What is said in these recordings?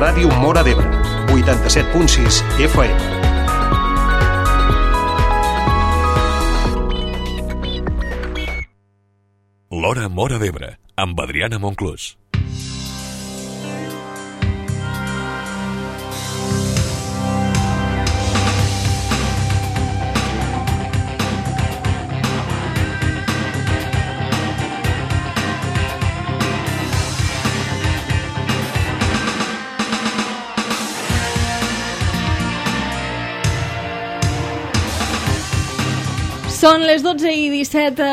Ràdio Móra d'Ebre, 87.6 FM. L'Hora Móra d'Ebre, amb Adriana Monclús. Són les 12:17.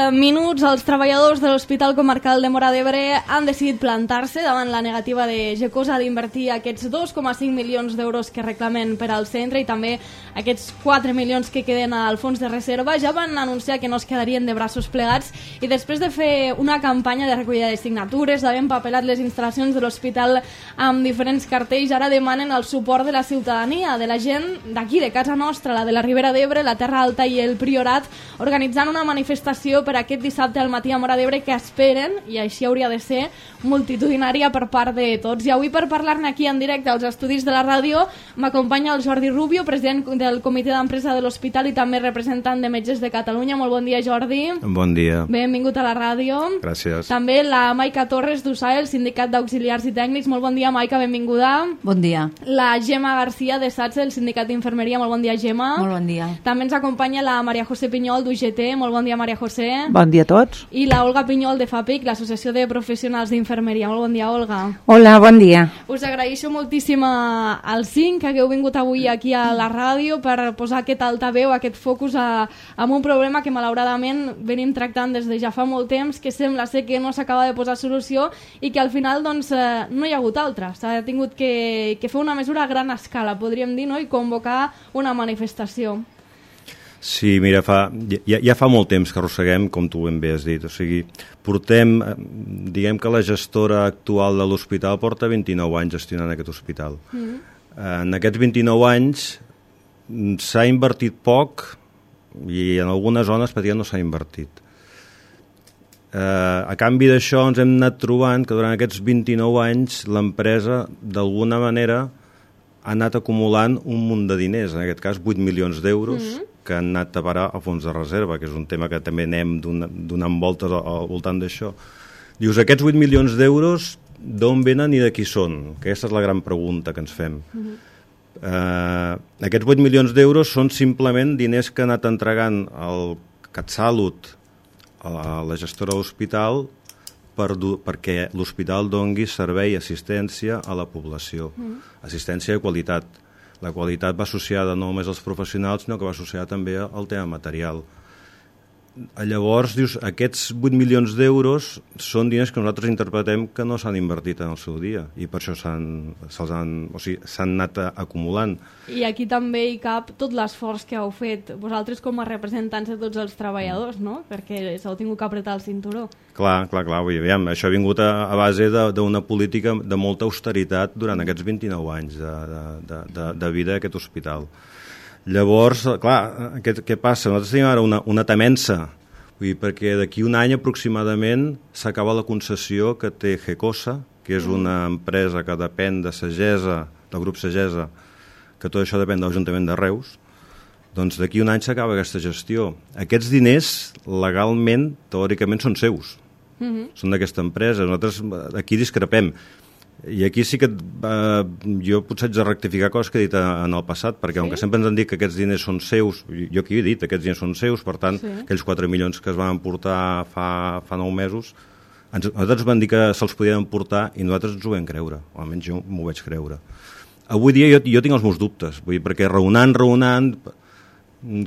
Els treballadors de l'Hospital Comarcal de Móra d'Ebre han decidit plantar-se davant la negativa de Gecosa d'invertir aquests 2,5 milions d'euros que reclamen per al centre i també aquests 4 milions que queden al fons de reserva. Ja van anunciar que no es quedarien de braços plegats i després de fer una campanya de recollida de signatures, d'haver empapelat les instal·lacions de l'hospital amb diferents cartells, ara demanen el suport de la ciutadania, de la gent d'aquí, de casa nostra, la de la Ribera d'Ebre, la Terra Alta i el Priorat, organitzant una manifestació per aquest dissabte al matí a Móra d'Ebre que esperen, i així hauria de ser, multitudinària per part de tots. I avui per parlar-ne aquí en directe als estudis de la ràdio m'acompanya el Jordi Rubio, president del comitè d'empresa de l'hospital i també representant de Metges de Catalunya. Molt bon dia, Jordi. Bon dia. Benvingut a la ràdio. Gràcies. També la Maica Torres d'USAE, el Sindicat d'Auxiliars i Tècnics. Molt bon dia, Maica, benvinguda. Bon dia. La Gemma García de SATSE, el Sindicat d'Infermeria. Molt bon dia, Gemma. Molt bon dia. També ens acompanya la Maria José Pinyol d'UGT. Molt bon dia, Maria José. Bon dia a tots. I la Olga Pinyol de FAPIC, l'Associació de Professionals d'Infermeria. Molt bon dia, Olga. Hola, bon dia. Us agraeixo moltíssim als 5 que hagueu vingut avui aquí a la ràdio per posar aquest altaveu, aquest focus amb un problema que malauradament venim tractant des de ja fa molt temps, que sembla ser que no s'acaba de posar solució i que al final doncs, no hi ha hagut altra. S'ha tingut que fer una mesura a gran escala, podríem dir, no? I convocar una manifestació. Sí, mira, ja fa molt temps que arrosseguem, com tu ben bé has dit. O sigui, portem, diguem que la gestora actual de l'hospital porta 29 anys gestionant aquest hospital. En aquests 29 anys s'ha invertit poc i en algunes zones pràcticament no s'ha invertit. A canvi d'això ens hem anat trobant que durant aquests 29 anys l'empresa d'alguna manera ha anat acumulant un munt de diners, en aquest cas 8 milions d'euros, que han anat a parar al fons de reserva, que és un tema que també anem donant voltes al voltant d'això. Dius, aquests 8 milions d'euros d'on venen i de qui són? Aquesta és la gran pregunta que ens fem. Aquests 8 milions d'euros són simplement diners que ha anat entregant el CatSalut a la gestora de l'hospital perquè l'hospital dongui servei i assistència a la població. Assistència de qualitat. La qualitat va associada no només als professionals, sinó que va associada també al tema material. Llavors, dius, aquests 8 milions d'euros són diners que nosaltres interpretem que no s'han invertit en el seu dia i per això s'han anat acumulant. I aquí també hi cap tot l'esforç que heu fet vosaltres com a representants de tots els treballadors, no? Perquè s'heu tingut que apretar el cinturó. Clar. Això ha vingut a base d'una política de molta austeritat durant aquests 29 anys de vida d'aquest hospital. Llavors, clar, què passa? Nosaltres tenim ara una temença, perquè d'aquí un any aproximadament s'acaba la concessió que té Gecosa, que és una empresa que depèn de Sagesa, del grup Sagesa, que tot això depèn de l'Ajuntament de Reus. Doncs d'aquí un any s'acaba aquesta gestió. Aquests diners, legalment, teòricament, són seus. Són d'aquesta empresa. Nosaltres aquí discrepem. I aquí sí que jo potser haig de rectificar coses que he dit en el passat, perquè com que sempre ens han dit que aquests diners són seus, jo aquí he dit que aquests diners són seus, per tant, aquells 4 milions que es van emportar fa 9 mesos, nosaltres van dir que se'ls podien emportar i nosaltres ens ho vam creure, o almenys jo m'ho vaig creure. Avui dia jo tinc els meus dubtes, perquè raonant,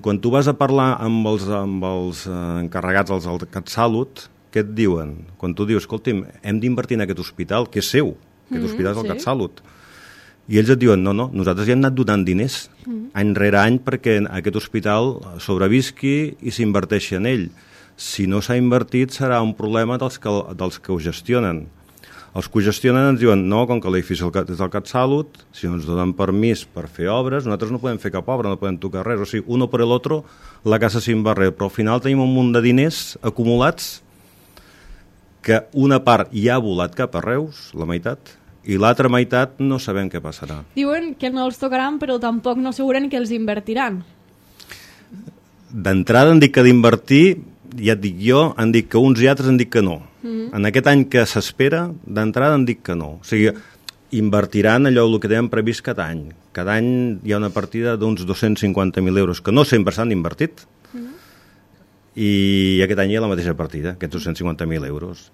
quan tu vas a parlar amb els encarregats del CatSalut, què et diuen? Quan tu dius, escolti'm, hem d'invertir en aquest hospital, que és seu, aquest hospital és el CatSalut. I ells et diuen, no, nosaltres ja hem anat donant diners any rere any perquè aquest hospital sobrevisqui i s'inverteixi en ell. Si no s'ha invertit serà un problema dels que ho gestionen. Els que ho gestionen ens diuen, no, com que l'edifici és del CatSalut, si no ens donen permís per fer obres, nosaltres no podem fer cap obra, no podem tocar res. O sigui, uno per l'altre, la casa sin barrer. Però al final tenim un munt de diners acumulats que una part ja ha volat cap a Reus, la meitat, i l'altra meitat no sabem què passarà. Diuen que no els tocaran, però tampoc no asseguren que els invertiran. D'entrada han dit que d'invertir, ja et dic jo, han dit que uns i altres han dit que no. En aquest any que s'espera, d'entrada han dit que no. O sigui, invertiran allò el que tenen previst cada any. Cada any hi ha una partida d'uns 250.000 euros, que no sempre s'han invertit, i aquest any hi ha la mateixa partida, aquests 250.000 euros.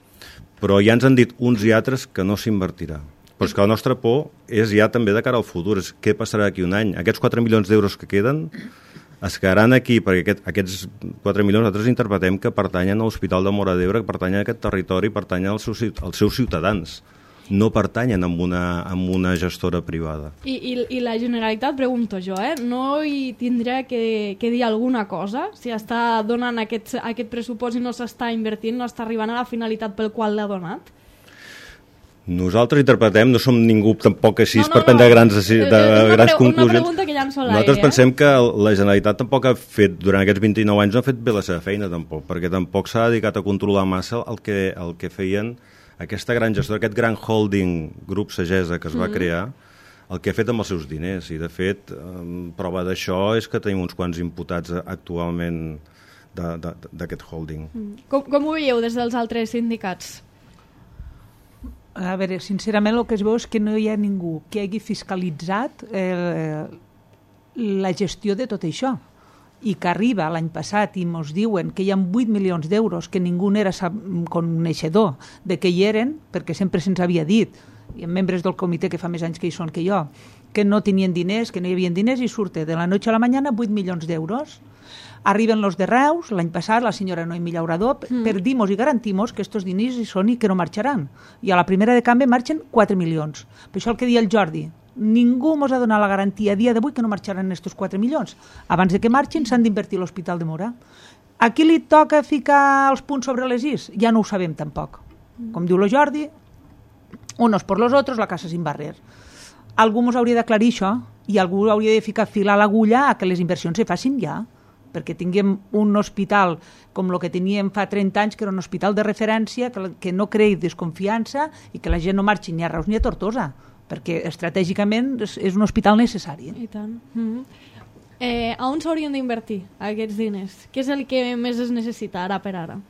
Però ja ens han dit uns i altres que no s'invertirà. Però és que la nostra por és ja també de cara al futur, és què passarà d'aquí un any. Aquests 4 milions d'euros que queden es quedaran aquí, perquè aquests 4 milions nosaltres interpretem que pertanyen a l'Hospital de Móra d'Ebre, que pertanyen a aquest territori, pertanyen als seus ciutadans, no pertanyen a una gestora privada. I la Generalitat, pregunto jo, no hi tindrà que dir alguna cosa? Si està donant aquest pressupost i no s'està invertint, no està arribant a la finalitat pel qual l'ha donat? Nosaltres interpretem, no som ningú tampoc així per prendre grans conclusions. Una pregunta que llanço a l'aire. Nosaltres pensem que la Generalitat tampoc ha fet, durant aquests 29 anys, no ha fet bé la seva feina tampoc, perquè tampoc s'ha dedicat a controlar massa el que feien aquesta gran gestora, aquest gran holding grup Sagesa que es va crear, el que ha fet amb els seus diners. I de fet, prova d'això és que tenim uns quants imputats actualment d'aquest holding. Com ho veieu des dels altres sindicats? A veure, sincerament el que es veu és que no hi ha ningú que hagi fiscalitzat la gestió de tot això i que arriba l'any passat i ens diuen que hi ha 8 milions d'euros que ningú n'era coneixedor de que hi eren, perquè sempre se'ns havia dit, hi ha membres del comitè que fa més anys que hi són que jo, que no tenien diners, que no hi havia diners, i surte de la noche a la mañana 8 milions d'euros. Arriben los de Reus, l'any passat, la senyora Noemí Llaurador, perdimos i garantimos que estos diners hi són i que no marxaran. I a la primera de canvi marxen 4 milions. Per això el que deia el Jordi, ningú ens ha donat la garantia a dia d'avui que no marxaran estos 4 milions. Abans de que marxin s'han d'invertir a l'Hospital de Móra. A qui li toca ficar els punts sobre les is? Ja no ho sabem tampoc. Com diu el Jordi, unos por los otros, la casa sin barrer. Algú ens hauria d'aclarir això i algú hauria de ficar fil a l'agulla a que les inversions se facin ja, perquè tinguem un hospital com el que teníem fa 30 anys, que era un hospital de referència, que no creï desconfiança i que la gent no marxi ni a Reus ni a Tortosa, perquè estratègicament és un hospital necessari. I tant. A on s'haurien d'invertir aquests diners? Què és el que més es necessita ara per ara?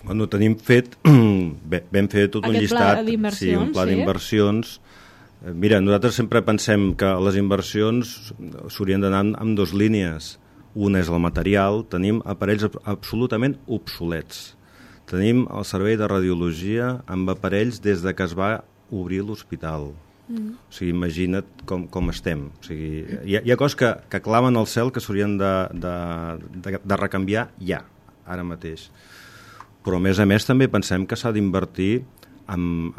Bueno, tenim fet, vam fer tot un llistat, un pla d'inversions. Mira, nosaltres sempre pensem que les inversions s'haurien d'anar amb dues línies. Una és el material, tenim aparells absolutament obsolets. Tenim el servei de radiologia amb aparells des de que es va obrir l'hospital. O sigui, imagina't com estem. O sigui, hi ha coses que clamen al cel que s'haurien de recanviar ja, ara mateix. Però a més també pensem que s'ha d'invertir amb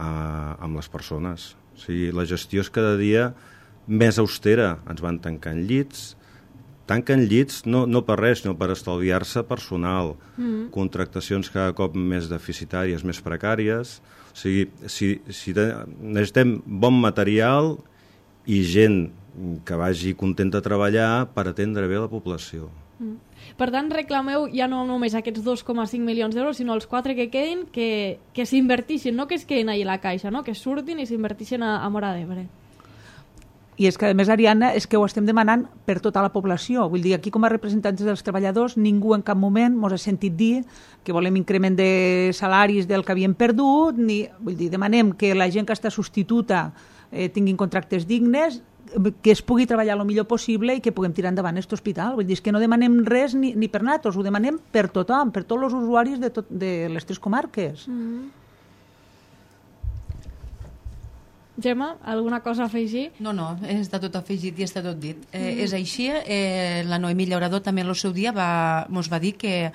les persones. O sigui, la gestió és cada dia més austera. Ens van tancant llits, no per res, sinó per estalviar-se personal, contractacions cada cop més deficitàries, més precàries. O sigui, necessitem bon material i gent que vagi contenta a treballar per atendre bé la població. Per tant, reclameu ja no només aquests 2,5 milions d'euros, sinó els 4 que quedin, que s'invertixin, no que es quedin allà a la caixa, no? Que surtin i s'invertixin a Móra d'Ebre. I és que, a més, Ariadna, és que ho estem demanant per tota la població. Vull dir, aquí com a representants dels treballadors, ningú en cap moment ens ha sentit dir que volem increment de salaris del que havíem perdut, vull dir, demanem que la gent que està substituta tinguin contractes dignes, que es pugui treballar el millor possible i que puguem tirar endavant aquest hospital. Vull dir, és que no demanem res ni per nosaltres, ho demanem per tothom, per tots els usuaris de les 3 comarques. Gemma, alguna cosa a afegir? No, està tot afegit i està tot dit. És així, la Noemí Llaurador també en el seu dia ens va dir que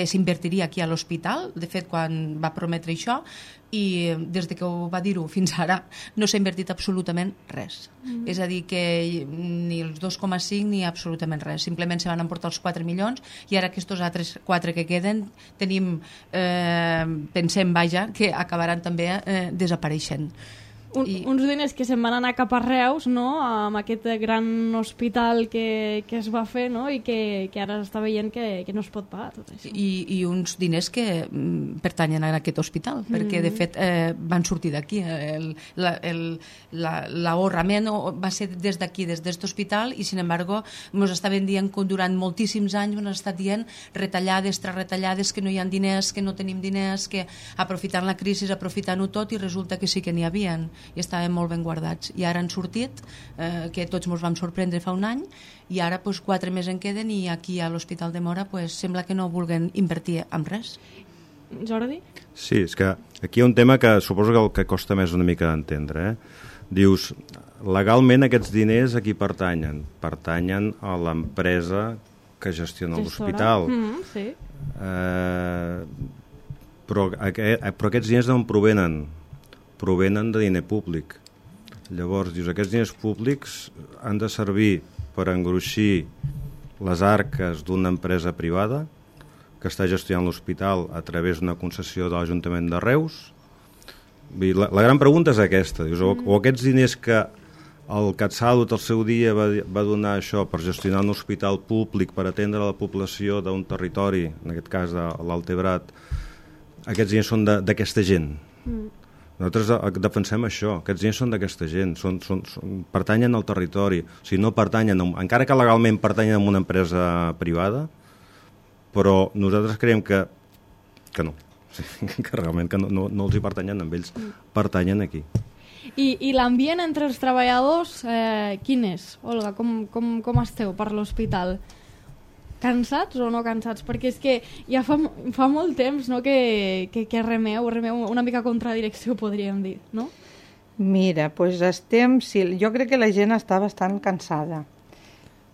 s'invertiria aquí a l'hospital, de fet quan va prometre això, i des de que ho va dir-ho fins ara no s'ha invertit absolutament res. És a dir, que ni els 2,5 ni absolutament res, simplement se van emportar els 4 milions i ara aquests altres 4 que queden tenim, pensem, que acabaran també desapareixent. Uns diners que se'n van anar cap a Reus, no?, amb aquest gran hospital que es va fer, no?, i que ara s'està veient que no es pot pagar tot això. I uns diners que pertanyen a aquest hospital, perquè de fet van sortir d'aquí. L'ahorrament va ser des d'aquí, des d'aquest hospital, i sin embargo ens estaven dient que durant moltíssims anys ens estat dient retallades, retallades, que no hi ha diners, que no tenim diners, que aprofitant la crisi, aprofitant-ho tot, i resulta que sí que n'hi havien i estaven molt ben guardats. I ara han sortit, que tots ens vam sorprendre fa un any, i ara 4 més en queden, i aquí a l'Hospital de Móra sembla que no vulguen invertir en res. Jordi? Sí, és que aquí hi ha un tema que suposo que el que costa més una mica d'entendre. Dius, legalment aquests diners a qui pertanyen? Pertanyen a l'empresa que gestiona l'hospital. Sí. Però aquests diners d'on provenen? Provenen de diner públic. Llavors, dius, aquests diners públics han de servir per engruixir les arques d'una empresa privada que està gestionant l'hospital a través d'una concessió de l'Ajuntament de Reus. La gran pregunta és aquesta. Dius, o aquests diners que el CatSalut al seu dia va donar això per gestionar un hospital públic per atendre la població d'un territori, en aquest cas de l'Altebrat, aquests diners són d'aquesta gent. Nosaltres defensem això, aquests diners són d'aquesta gent, pertanyen al territori, o sigui, no pertanyen, encara que legalment pertanyen a una empresa privada, però nosaltres creiem que no, que realment que no els hi pertanyen amb ells, pertanyen aquí. I l'ambient entre els treballadors, quin és, Olga? Com esteu per l'hospital? Cansats o no cansats? Perquè és que ja fa molt temps, no, que remeu una mica contra direcció, podríem dir, no? Mira, doncs jo crec que la gent està bastant cansada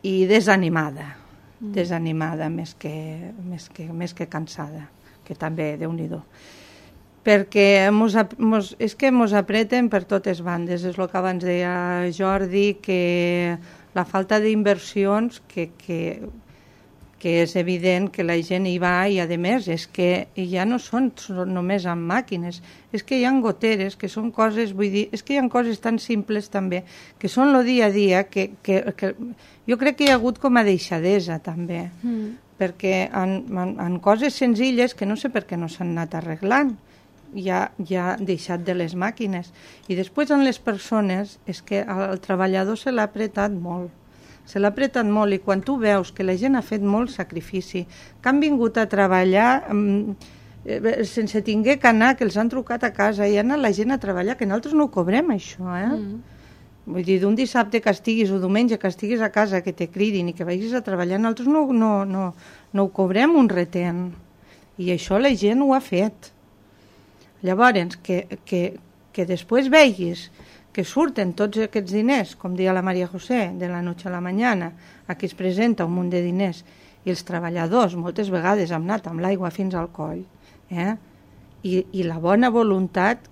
i desanimada, més que cansada, que també, Déu-n'hi-do. Perquè és que mos apreten per totes bandes, és el que abans deia Jordi, que la falta d'inversions que és evident que la gent hi va, i a més és que ja no són només amb màquines, és que hi ha goteres, que són coses, vull dir, és que hi ha coses tan simples també, que són el dia a dia, que jo crec que hi ha hagut com a deixadesa també, perquè en coses senzilles que no sé per què no s'han anat arreglant, ja deixat de les màquines. I després en les persones és que el treballador se l'ha apretat molt, i quan tu veus que la gent ha fet molt sacrifici, que han vingut a treballar sense tinguer que anar, que els han trucat a casa i ha anat la gent a treballar, que nosaltres no ho cobrem això, vull dir, d'un dissabte que estiguis o diumenge que estiguis a casa, que te cridin i que vagis a treballar, nosaltres no ho cobrem un retent, i això la gent ho ha fet. Llavors, que després veguis que surten tots aquests diners, com deia la Maria José, de la noche a la mañana, aquí es presenta un munt de diners, i els treballadors moltes vegades han anat amb l'aigua fins al coll, i la bona voluntat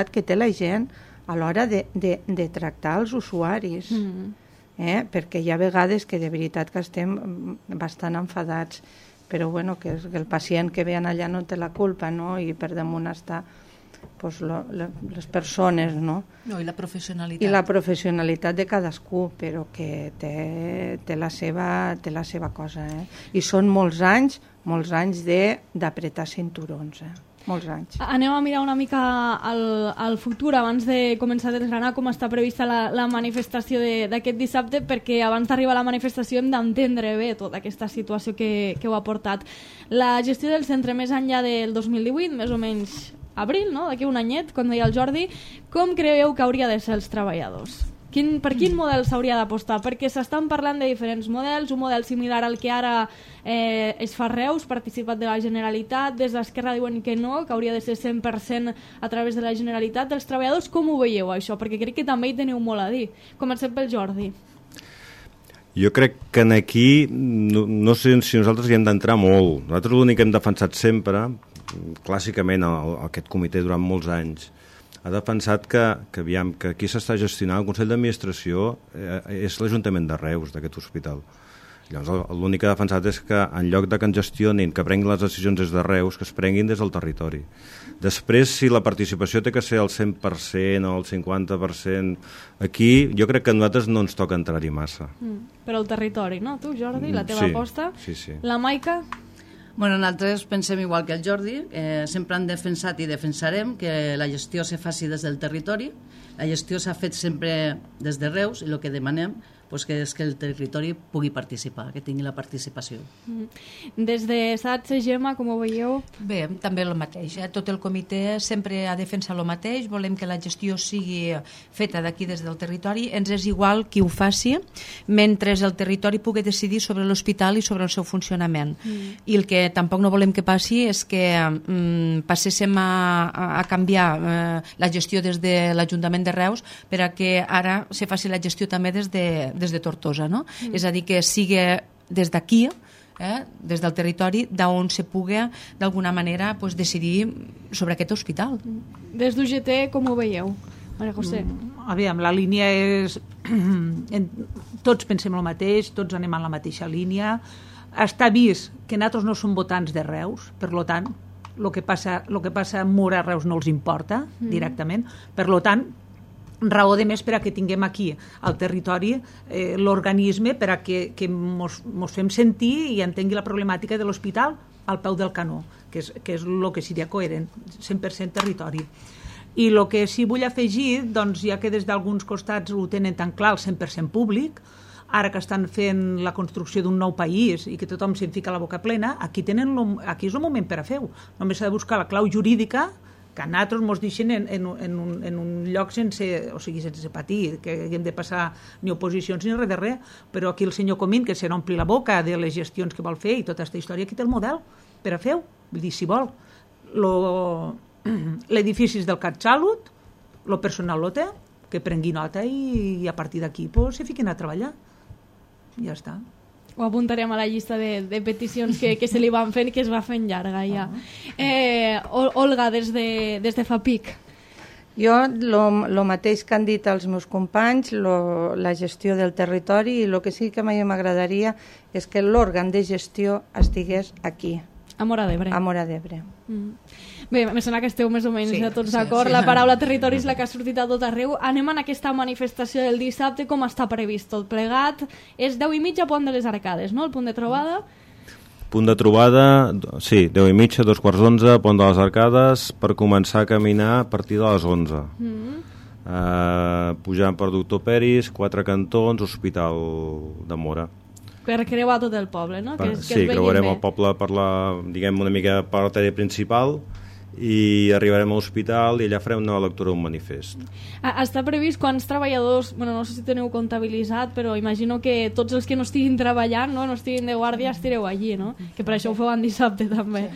que té la gent a l'hora de tractar els usuaris, perquè hi ha vegades que de veritat que estem bastant enfadats, però bueno, que el pacient que ve allà no té la culpa, no? I per damunt està les persones, no? I la professionalitat. I la professionalitat de cadascú, però que té la seva cosa, I són molts anys d'apretar cinturons, molts anys. Anem a mirar una mica al futur abans de començar a desgranar com està prevista la manifestació d'aquest dissabte, perquè abans d'arribar a la manifestació hem d'entendre bé tota aquesta situació que ho ha portat. La gestió del centre més enllà del 2018, més o menys abril, no? D'aquí un anyet, com deia el Jordi, com creieu que hauria de ser els treballadors? Per quin model s'hauria d'apostar? Perquè s'estan parlant de diferents models, un model similar al que ara es fa a Reus, participat de la Generalitat, des d'Esquerra diuen que no, que hauria de ser 100% a través de la Generalitat. Els treballadors com ho veieu això? Perquè crec que també hi teniu molt a dir. Comencem pel Jordi. Jo crec que aquí no sé si nosaltres hi hem d'entrar molt. Nosaltres l'únic que hem defensat sempre, clàssicament aquest comitè durant molts anys, ha defensat que aquí s'està gestionant el Consell d'Administració és l'Ajuntament de Reus d'aquest hospital. Llavors l'únic que ha defensat és que en lloc de que en gestionin, que prenguin les decisions des de Reus, que es prenguin des del territori. Després, si la participació té que ser el 100% o el 50%, aquí jo crec que a nosaltres no ens toca entrar-hi massa. Però el territori, no? Tu, Jordi, la teva aposta? Sí, sí. La Maica? Bueno, nosaltres pensem igual que el Jordi, sempre han defensat i defensarem que la gestió se faci des del territori. La gestió s'ha fet sempre des de Reus i el que demanem és que el territori pugui participar, que tingui la participació. Des de SATS, Gemma, com ho veieu? Bé, també el mateix. Tot el comitè sempre ha defensat el mateix. Volem que la gestió sigui feta d'aquí des del territori. Ens és igual qui ho faci, mentre el territori pugui decidir sobre l'hospital i sobre el seu funcionament. I el que tampoc no volem que passi és que passéssim a canviar la gestió des de l'Ajuntament de Reus per a que ara se faci la gestió també des de Tortosa, no? És a dir, que sigui des d'aquí, des del territori, d'on se pugui d'alguna manera decidir sobre aquest hospital. Des d'UGT, com ho veieu? Maria José. Aviam, la línia és... Tots pensem el mateix, tots anem en la mateixa línia. Està vist que nosaltres no som votants de Reus, per tant, el que passa a Mura a Reus no els importa directament. Per tant, raó de més per a que tinguem aquí al territori l'organisme per a que mos fem sentir i entengui la problemàtica de l'hospital al peu del canó, que és el que seria coherent, 100% territori. I el que sí vull afegir, doncs, ja que des d'alguns costats ho tenen tan clar, el 100% públic, ara que estan fent la construcció d'un nou país i que tothom se'n fica la boca plena, aquí és el moment per a fer-ho. Només s'ha de buscar la clau jurídica que a nosaltres ens deixen en un lloc sense patir, que hem de passar ni oposicions ni res de res, però aquí el senyor Comín, que se n'ompli la boca de les gestions que vol fer i tota aquesta història, aquí té el model per a fer-ho, vull dir, si vol. L'edifici és del CatSalut, el personal lo té, que prengui nota i a partir d'aquí se fiquin a treballar. Ja està. Ho apuntarem a la llista de peticions que se li van fent i que es va fent llarga ja. Olga, des de FAPIC. Jo, el mateix que han dit els meus companys, la gestió del territori, i el que sí que a mi m'agradaria és que l'òrgan de gestió estigués aquí. A Móra d'Ebre. A Móra d'Ebre. Bé, em sembla que esteu més o menys tots d'acord. La paraula territori és la que ha sortit a tot arreu. Anem en aquesta manifestació del dissabte, com està previst tot plegat. És 10:30 Pont de les Arcades, no?, el punt de trobada? Punt de trobada, sí, 10:30, 2:15, Pont de les Arcades, per començar a caminar a partir de les 11. Pujant per Doctor Peris, 4 cantons, Hospital de Móra. Per creuar tot el poble, no? Sí, creuarem el poble per una mica per l'artèria principal i arribarem a l'hospital i allà farem una lectura d'un manifest. Està previst quants treballadors, no sé si teniu comptabilitzat, però imagino que tots els que no estiguin treballant, no estiguin de guàrdia, estireu allí, no? Que per això ho feu en dissabte també.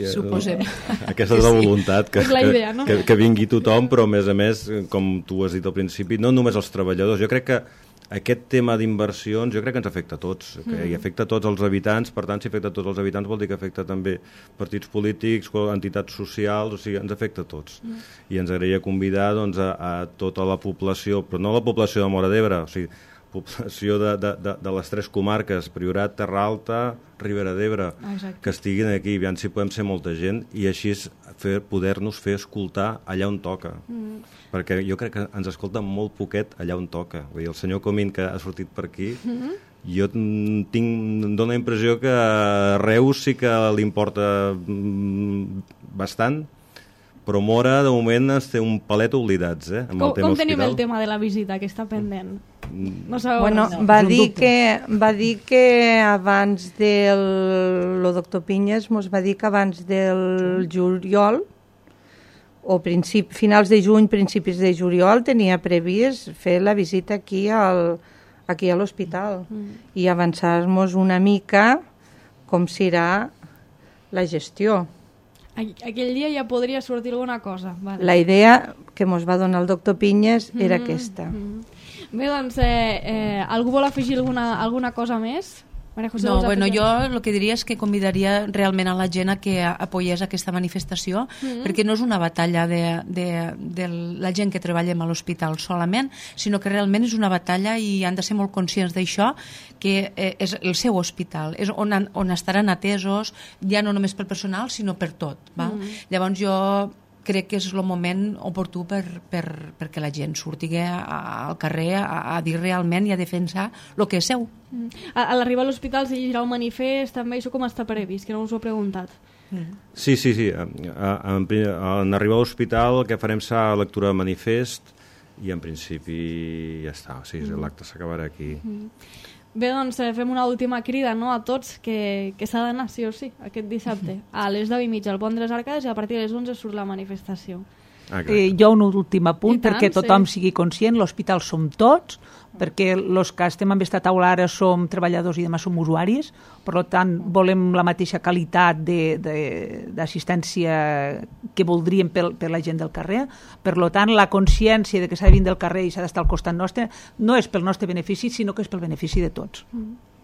Suposem. Aquesta és la voluntat, és la idea, no? que vingui tothom, però a més, com tu has dit al principi, no només els treballadors. Jo crec que aquest tema d'inversions jo crec que ens afecta a tots, i afecta a tots els habitants. Per tant, si afecta a tots els habitants vol dir que afecta també partits polítics, entitats socials, o sigui, ens afecta a tots. I ens agradaria convidar a tota la població, però no la població de Móra d'Ebre, o sigui, població de les 3 comarques, Priorat, Terra Alta, Ribera d'Ebre, que estiguin aquí, aviam si podem ser molta gent, i així poder-nos fer escoltar allà on toca. Perquè jo crec que ens escolten molt poquet allà on toca. Vull dir, el senyor Comín, que ha sortit per aquí, jo em dóna la impressió que a Reus sí que li importa bastant, però Móra, de moment, ens té un palet oblidats, amb el tema com tenim hospital. el tema de la visita, que està pendent? No sabeu? Bueno, va dir que abans el doctor Pinyes mos va dir que abans del juliol, o finals de juny, principis de juliol, tenia previst fer la visita aquí a l'hospital i avançar-nos una mica com serà la gestió. Aquell dia ja podria sortir alguna cosa. Vale. La idea que ens va donar el doctor Pinyes era aquesta. Bé, doncs, algú vol afegir alguna cosa més? Maria José, No, vols bueno, afegir? jo el que diria és que convidaria realment a la gent a que apoyés aquesta manifestació, perquè no és una batalla de la gent que treballem a l'hospital solament, sinó que realment és una batalla i han de ser molt conscients d'això, que és el seu hospital, és on estaran atesos, ja no només pel personal, sinó per tot. Val? Llavors jo crec que és el moment oportú perquè la gent surti al carrer a dir realment i a defensar el que és seu. A l'arribar a l'hospital s'hi llegirà un manifest, també, això com està previst, que no us ho he preguntat. Sí. En arribar a l'hospital el que farem serà lectura de manifest i en principi ja està, o sigui, l'acte s'acabarà aquí. Bé, doncs fem una última crida, no?, a tots que s'ha d'anar sí o sí aquest dissabte a les 10:30 al Pont de les Arcades i a partir de les 11 surt la manifestació. Jo un últim apunt, I tant, perquè tothom sí. sigui conscient, l'hospital som tots, perquè els que estem en aquesta taula ara som treballadors i demà som usuaris, per tant volem la mateixa qualitat d'assistència que voldríem per la gent del carrer, per tant la consciència de que s'ha de venir del carrer i s'ha d'estar al costat nostre no és pel nostre benefici, sinó que és pel benefici de tots.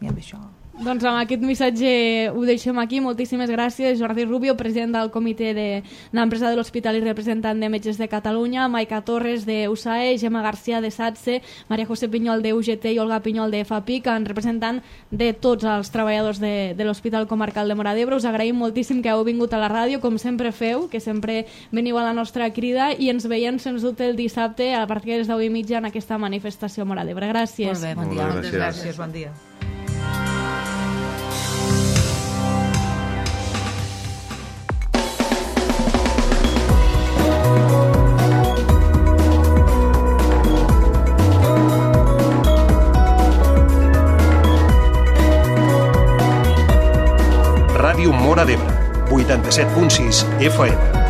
I amb això... Doncs amb aquest missatge ho deixem aquí. Moltíssimes gràcies, Jordi Rubio, president del comitè d'empresa de l'Hospital i representant de Metges de Catalunya, Maica Torres de USAE, Gemma García de SATSE, Maria José Pinyol de UGT i Olga Pinyol de FAPIC, en representant de tots els treballadors de l'Hospital Comarcal de Móra d'Ebre. Us agraïm moltíssim que heu vingut a la ràdio, com sempre feu, que sempre veniu a la nostra crida i ens veiem, sens dubte, el dissabte a partir de les 10:30 en aquesta manifestació a Móra d'Ebre. Gràcies. Molt bé, bon dia. Molt bé, gràcies. Bon dia. Ràdio Móra d'Ebre, 87.6 FM.